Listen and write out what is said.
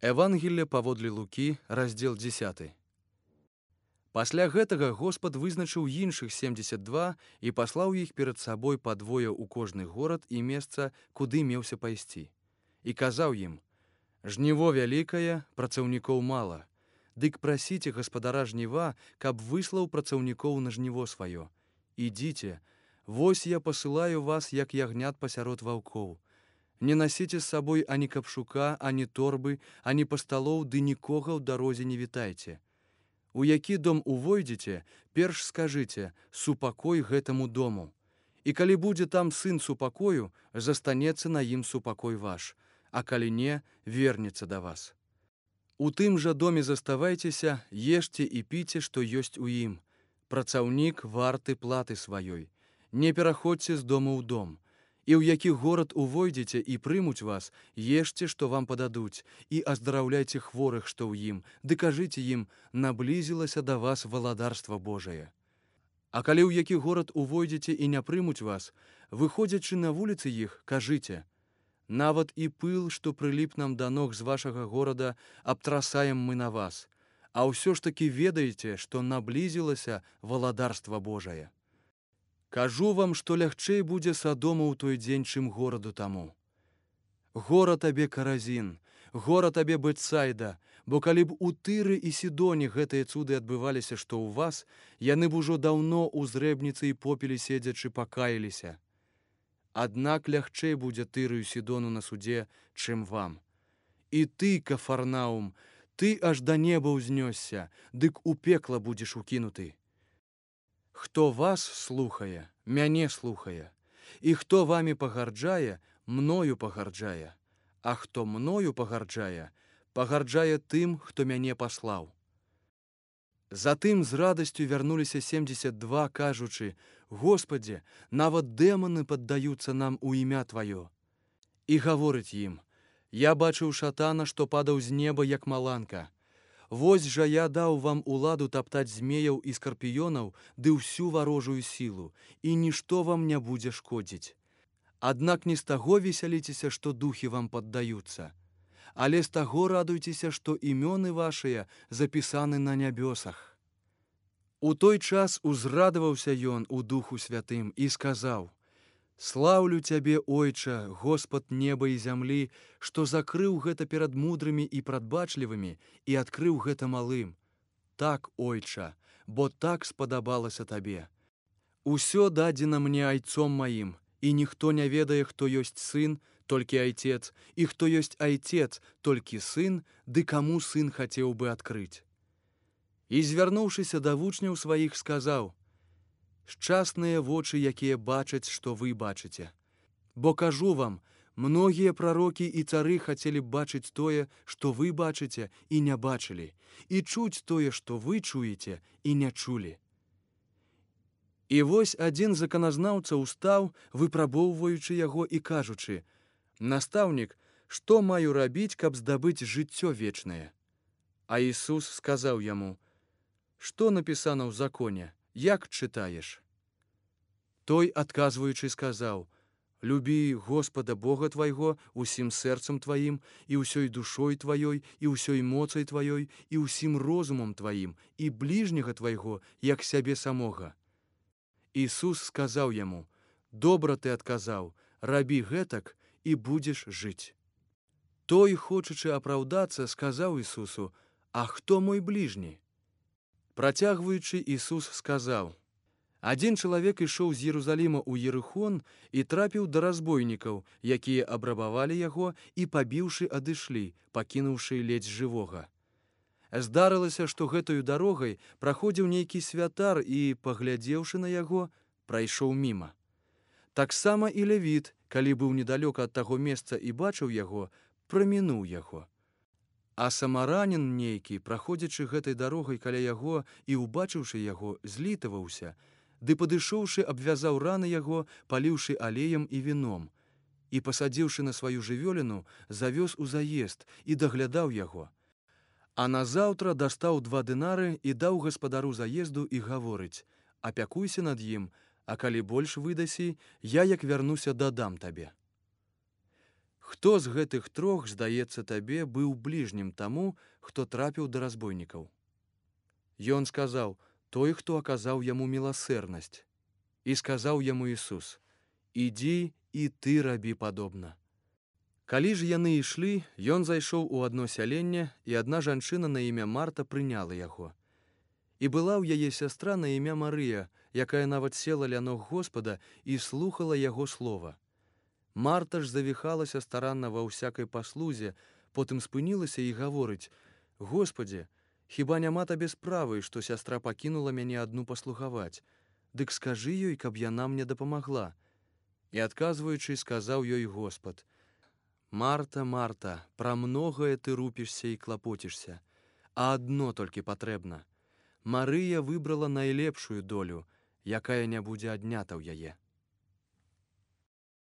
Евангелле паводле Лукі, раздзел 10. Пасля гэтага Господ вызначыў іншых 72 і паслаў іх перад сабой па двое ў кожны горад і месца, куды меўся пайсці. І казаў ім: «Жніво вялікае, працаўнікоў мала. Дык прасіце гаспадара жніва, каб выслаў працаўнікоў на жніво сваё. Ідзіце, вось я пасылаю вас, як ягнят пасярод ваўкоў. Не насіце з сабой ані капшука, ані торбы, ані пасталоў, ды нікога ў дарозе не вітайце. У які дом увойдзеце, перш скажыце: супакой гэтаму дому. І калі будзе там сын супакою, застанецца на ім супакой ваш, а калі не, вернецца да вас. У тым жа доме заставайцеся, ешце і піце, што ёсць у ім. Працаўнік варты платы сваёй. Не пераходзьце з дому ў дом. І ў які горад увойдзеце і прымуць вас, ешце, што вам пададуць, і аздараўляйце хворых, што ў ім, ды кажыце ім: наблізілася да вас валадарства Божае. А калі ў які горад увойдзеце і не прымуць вас, выходзячы на вуліцы іх, кажыце: нават і пыл, што прыліп нам да ног з вашага горада, абтрасаем мы на вас, а ўсё ж такі ведаеце, што наблізілася валадарства Божае. Кажу вам, што лягчэй будзе Садому ў той дзень, чым гораду таму. Гора табе, Каразін, гора табе, Бетсайда, бо калі б у Тыры і Сідоне гэтыя цуды адбываліся, што ў вас, яны б ужо даўно ў зрэбніцы і попелі седзячы пакаяліся. Аднак лягчэй будзе Тыры і Сідону на судзе, чым вам. І ты, Кафарнаум, ты аж да неба ўзнёсся, дык у пекла будзеш укінуты. Хто вас слухае, мяне слухае, і хто вамі пагарджае, мною пагарджае, а хто мною пагарджае, пагарджае тым, хто мяне паслаў. Затым з радасцю вярнуліся 72, кажучы: «Господзе, нават дэманы паддаюцца нам у імя Тваё». І гаворыць ім: «Я бачыў шатана, што падаў з неба, як маланка. Вось жа я даў вам уладу таптаць змеяў і скарпіёнаў ды ўсю варожую сілу, і нішто вам не будзе шкодзіць. Аднак не з таго весяліцеся, што духі вам паддаюцца, але з таго радуйцеся, што імёны вашыя запісаны на нябёсах». У той час узрадаваўся ён у Духу Святым і сказаў: «Слаўлю Цябе, Ойча, Господ неба і зямлі, што закрыў гэта перад мудрымі і прадбачлівымі і адкрыў гэта малым. Так, Ойча, бо так спадабалася Табе. Усё дадзена мне айцом маім, і ніхто не ведае, хто ёсць сын, толькі айцец, і хто ёсць айцец, толькі сын, ды каму сын хацеў бы адкрыць». І, звярнуўшыся да вучняў сваіх, сказаў: «Шчасныя вочы, якія бачаць, што вы бачыце. Бо кажу вам, многія прарокі і цары хацелі б бачыць тое, што вы бачыце і не бачылі, і чуць тое, што вы чуеце і не чулі». І вось адзін з заканазнаўцаў устаў, выпрабоўваючы яго і кажучы: «Настаўнік, што маю рабіць, каб здабыць жыццё вечнае?» А Ісус сказаў яму: «Што напісана ў законе? Як чытаеш?» Той, адказваючы, сказаў: «Любі Господа Бога твайго усім сэрцам тваім, і ўсёй душой тваёй, і ўсёй моцай тваёй, і ўсім розумам тваім, і бліжняга твайго, як сябе самога». Ісус сказаў яму: «Добра ты адказаў, рабі гэтак, і будзеш жыць». Той, хочучы апраўдацца, сказаў Ісусу: «А хто мой бліжні?» Працягваючы, Ісус сказаў: «Адзін чалавек ішоў з Єрусаліма ў Ерыхон і трапіў да разбойнікаў, якія абрабавалі яго і, пабіўшы, адышлі, пакінуўшы ледзь жывога. Здарылася, што гэтаю дарогай праходзіў нейкі святар і, паглядзеўшы на яго, прайшоў міма. Таксама і левіт, калі быў недалёка ад таго месца і бачыў яго, прамінуў яго. А самаранін нейкі, праходзячы гэтай дарогай каля яго і, убачыўшы яго, злітаваўся, ды, падышоўшы, абвязаў раны яго, паліўшы алеем і віном, і, пасадзіўшы на сваю жывёліну, завёз у заезд і даглядаў яго. А назаўтра дастаў 2 дынары і даў гаспадару заезду і гаворыць: «Апякуйся над ім, а калі больш выдасі, я, як вярнуся, дадам табе». Хто з гэтых трох, здаецца табе, быў бліжнім таму, хто трапіў да разбойнікаў? Ён сказаў: той, хто аказаў яму міласэрнасць. І сказаў яму Ісус: ідзі і ты рабі падобна. Калі ж яны ішлі, ён зайшоў у адно сяленне, і адна жанчына на імя Марта прыняла яго. І была ў яе сястра на імя Марыя, якая нават села ля ног Господа і слухала яго слова. Марта ж завіхалася старанна ва ўсякай паслузе, потым спынілася і гаворыць: Господзе, хіба няма табе справы, што сястра пакінула мяне адну паслугаваць? Дык скажы ёй, каб яна мне дапамагла. І адказваючы, сказаў ёй Господ: Марта, Марта, пра многае ты рупішся і клапоцішся, а адно толькі патрэбна. Марыя выбрала найлепшую долю, якая не будзе аднята ў яе.